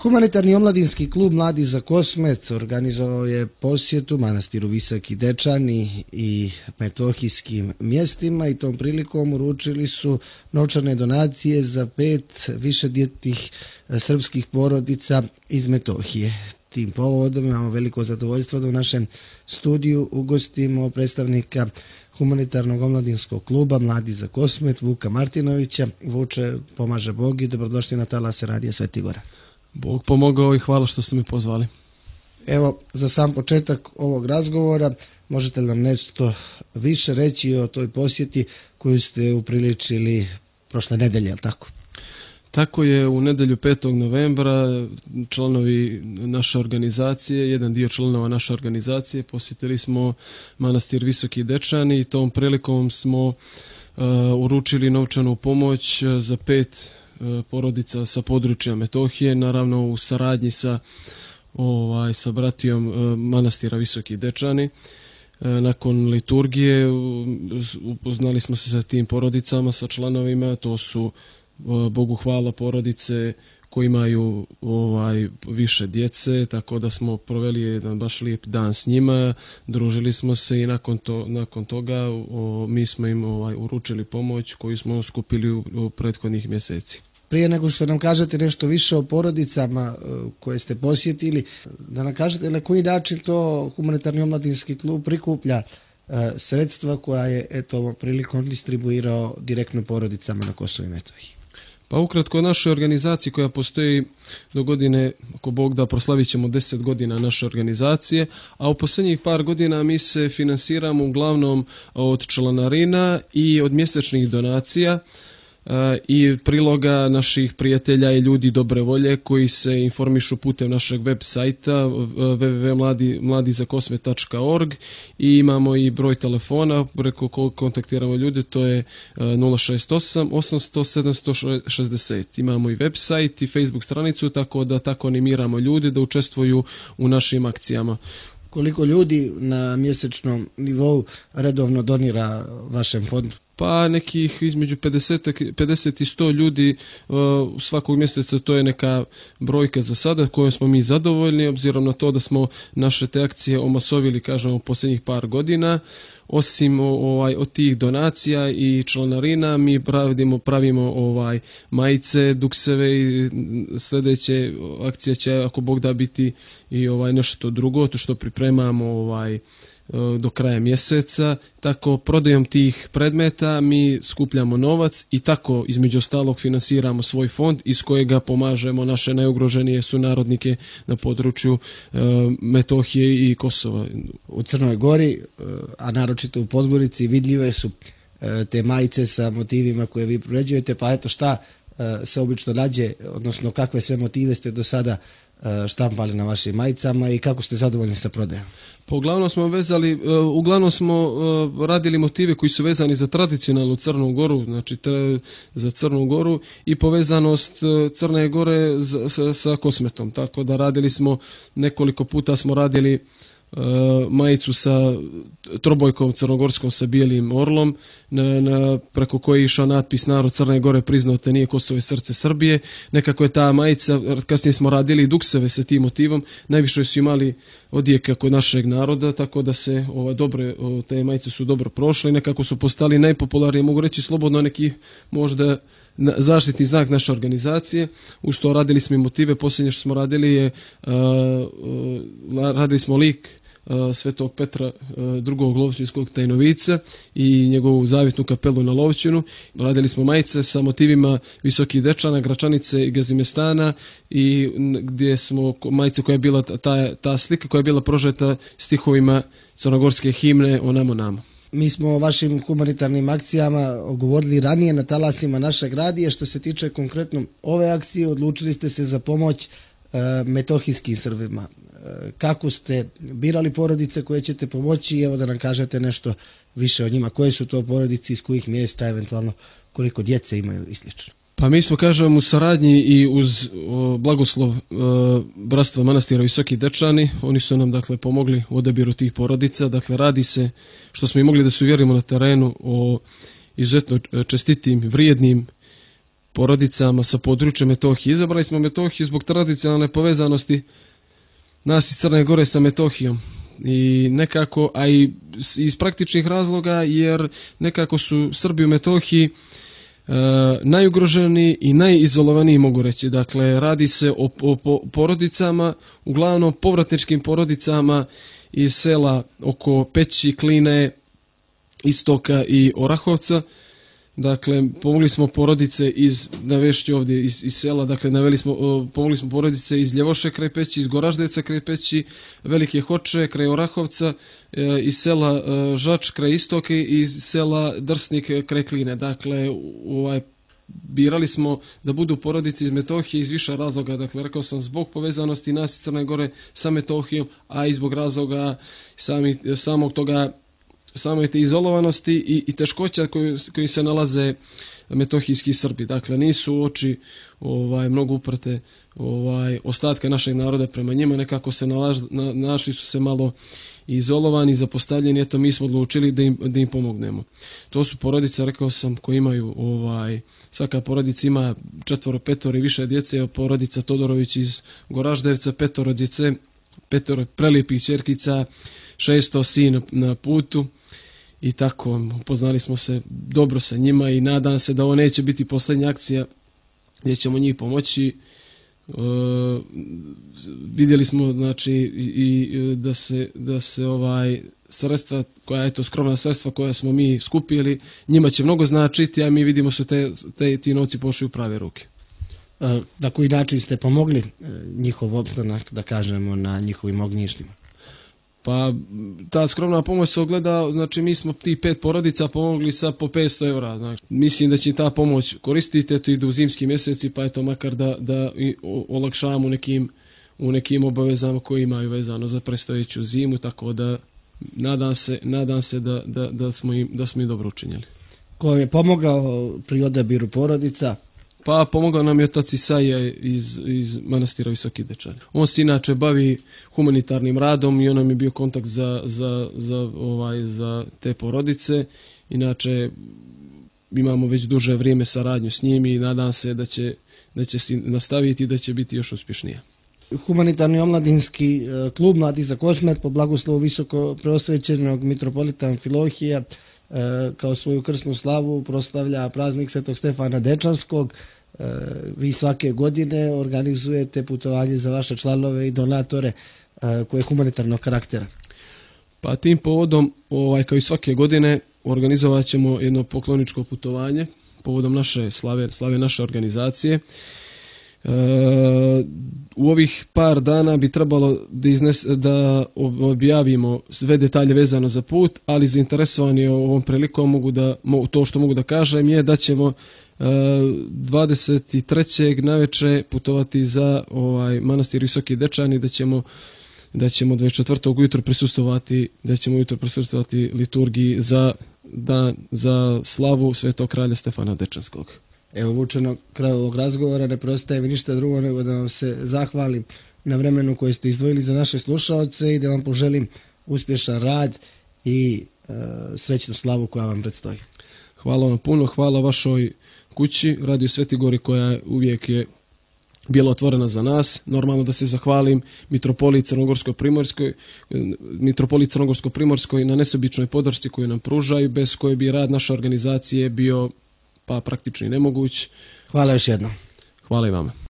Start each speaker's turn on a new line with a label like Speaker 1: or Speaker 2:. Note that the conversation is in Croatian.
Speaker 1: Humanitarni omladinski klub Mladi za Kosmet organizovao je posjetu manastiru Visoki Dečani i metohijskim mjestima i tom prilikom uručili su novčane donacije za 5 višedjetnih srpskih porodica iz Metohije. Tim povodom imamo veliko zadovoljstvo da u našem studiju ugostimo predstavnika Humanitarnog omladinskog kluba Mladi za Kosmet Vuka Martinovića. Vuče, pomaže Bog i dobrodošli na talase Radija Sveti Gora.
Speaker 2: Bog pomogao i hvala što ste mi pozvali.
Speaker 1: Evo, za sam početak ovog razgovora, možete li nam nešto više reći o toj posjeti koju ste upriličili prošle nedelje, ali tako?
Speaker 2: Tako je, u nedjelju 5. novembra članovi naše organizacije, jedan dio članova naše organizacije, posjetili smo manastir Visoki Dečani i tom prilikom smo uručili novčanu pomoć za 5 porodica sa područja Metohije, naravno u saradnji sa bratijom manastira Visoki Dečani. Nakon liturgije upoznali smo se sa tim porodicama, sa članovima. To su, Bogu hvala, porodice koji imaju više djece, tako da smo proveli jedan baš lijep dan s njima, družili smo se i nakon toga mi smo im uručili pomoć koju smo skupili u prethodnih mjeseci.
Speaker 1: Prije nego što nam kažete nešto više o porodicama koje ste posjetili, da nam kažete na koji način to Humanitarni omladinski klub prikuplja sredstva koja je ovom prilikom distribuirao direktno porodicama na Kosovu i Metohiji.
Speaker 2: Pa ukratko, našoj organizaciji koja postoji do godine, ako Bog da, proslavit ćemo 10 godina naše organizacije, a u posljednjih par godina mi se finansiramo uglavnom od članarina i od mjesečnih donacija i priloga naših prijatelja i ljudi dobre volje koji se informišu putem našeg web sajta www.mladizakosmet.org i imamo i broj telefona preko kojeg kontaktiramo ljude, to je 068 800 760. Imamo i web sajt i Facebook stranicu, tako da tako animiramo ljude da učestvuju u našim akcijama.
Speaker 1: Koliko ljudi na mjesečnom nivou redovno donira vašem fondu?
Speaker 2: Pa nekih između 50 i 100 ljudi svakog mjeseca, to je neka brojka za sada kojom smo mi zadovoljni, obzirom na to da smo naše te akcije omasovili, kažemo, u posljednjih par godina. Osim od tih donacija i članarina mi pravimo majice, dukseve i sljedeće akcije će, ako Bog da, biti i nešto drugo, to što pripremamo do kraja mjeseca. Tako prodajom tih predmeta mi skupljamo novac i tako između ostalog finansiramo svoj fond iz kojega pomažemo naše najugroženije sunarodnike na području Metohije i Kosova.
Speaker 1: U Crnoj Gori, a naročito u Podgorici, vidljive su te majice sa motivima koje vi proređujete, pa eto šta se obično nađe, odnosno kakve sve motive ste do sada štampali na vašim majicama i kako ste zadovoljni sa prodajom?
Speaker 2: Pa uglavnom smo radili motive koji su vezani za tradicionalnu Crnu Goru, znači za Crnu Goru i povezanost Crne Gore sa Kosmetom. Tako da nekoliko puta smo radili majicu sa trobojkom crnogorskom sa bijelim orlom, preko koje je išao natpis "Narod Crne Gore priznao te nije Kosovo i srce Srbije". Nekako je ta majica, kasnije smo radili dukseve sa tim motivom, najviše su imali odjeka kod našeg naroda, tako da se te majice su dobro prošle i nekako su postali najpopularnije, mogu reći slobodno, neki možda zaštitni znak naše organizacije. Uz to radili smo i motive. Posljednje što smo radili smo lik Svetog Petra drugog Lovćinskog Tajnovica i njegovu zavitnu kapelu na Lovćinu. Radili smo majice sa motivima Visokih Dečana, Gračanice i Gazimestana, i gdje smo majice koja je bila ta slika koja je bila prožeta stihovima crnogorske himne "O namo namo".
Speaker 1: Mi smo o vašim humanitarnim akcijama govorili ranije na talasima našeg radija. Što se tiče konkretno ove akcije, odlučili ste se za pomoć metohijskim Srbima. Kako ste birali porodice koje ćete pomoći? Evo da nam kažete nešto više o njima. Koje su to porodice, iz kojih mjesta, eventualno koliko djece imaju i slično?
Speaker 2: Pa mi smo, kažem, u saradnji i uz blagoslov bratstva manastira Visoki Dečani. Oni su nam, dakle, pomogli u odabiru tih porodica. Dakle, radi se, što smo i mogli da se uvjerimo na terenu, o izuzetno čestitim, vrijednim porodicama sa područja Metohije. Izabrali smo Metohiju zbog tradicionalne povezanosti nas iz Crne Gore sa Metohijom. I nekako, a i iz praktičnih razloga, jer nekako su Srbi u Metohiji najugroženiji i najizolovaniji, mogu reći. Dakle, radi se o porodicama, uglavnom povratničkim porodicama iz sela oko Peći, Kline, Istoka i Orahovca. Dakle, pomogli smo porodice navešću ovdje iz sela, dakle, pomogli smo porodice iz Ljevoše kraj Peći, iz Goraždevca kraj Peći, Velike Hoče kraj Orahovca, iz sela Žač kraj Istoke i iz sela Drsnik kraj Kline. Dakle, birali smo da budu porodice iz Metohije iz više razloga. Dakle, rekao sam, zbog povezanosti nas iz Crne Gore sa Metohijom, a i zbog razloga same te izolovanosti i teškoća koji se nalaze metohijski Srbi. Dakle, nisu oči mnogo uprte ostatka našeg naroda prema njima, nekako se našli su se malo izolovani, zapostavljeni, eto mi smo odlučili da im pomognemo. To su porodice, rekao sam, koji imaju, svaka porodica ima 4, 5 i više djece, porodica Todorović iz Goraždevca, 5 djece, 5 prelijepih ćerkica, 6 sin na putu i tako, upoznali smo se dobro sa njima i nadam se da ovo neće biti posljednja akcija gdje ćemo njih pomoći. Vidjeli smo, znači, i da se sredstva skromna sredstva koja smo mi skupili, njima će mnogo značiti, a mi vidimo su ti novci pošli u prave ruke.
Speaker 1: Na koji način ste pomogli njihov opstanak, da kažemo, na njihovim ognjištima?
Speaker 2: Pa ta skromna pomoć se ogleda, znači mi smo ti 5 porodica pomogli sa po 500 €. Znači, mislim da će ta pomoć koristiti, eto idu u zimski mjeseci, pa eto makar da olakšavamo u nekim obavezama koje imaju vezano za predstojeću zimu, tako da nadam se da smo im dobro učinjeli.
Speaker 1: Ko je pomogao pri odabiru porodica?
Speaker 2: Pa pomogao nam je otac Isaija iz manastira Visoki Dečani. On se inače bavi humanitarnim radom i on nam je bio kontakt za te porodice. Inače imamo već duže vrijeme saradnju s njim i nadam se da će se nastaviti i da će biti još uspješnije.
Speaker 1: Humanitarni omladinski klub Mladi za Kosmet po blagoslovu visoko preosvećenog mitropolita Amfilohija kao svoju krsnu slavu proslavlja praznik Svetog Stefana Dečanskog. Vi svake godine organizujete putovanje za vaše članove i donatore koje je humanitarnog karaktera.
Speaker 2: Pa tim povodom, kao i svake godine, organizovat ćemo jedno pokloničko putovanje povodom naše slave naše organizacije. U ovih par dana bi trebalo da objavimo sve detalje vezano za put, ali zainteresovani ovom prilikom to što mogu da kažem je da ćemo 23. naveče putovati za manastir Visoki Dečani, da ćemo 24. ujutro prisustvovati liturgiji za slavu Svetog kralja Stefana Dečanskog.
Speaker 1: Evo, Vučeno, kraj ovog razgovora ne preostaje mi ništa drugo nego da vam se zahvalim na vremenu koje ste izdvojili za naše slušaoce i da vam poželim uspješan rad i srećnu slavu koja vam predstoji.
Speaker 2: Hvala vam puno, hvala vašoj kući, Radio Sveti Gori, koja uvijek je bila otvorena za nas. Normalno da se zahvalim mitropoliji Crnogorsko-Primorskoj na nesebičnoj podršci koju nam pružaju, bez koje bi rad naše organizacije bio praktično nemoguć.
Speaker 1: Hvala još jednom.
Speaker 2: Hvala i vama.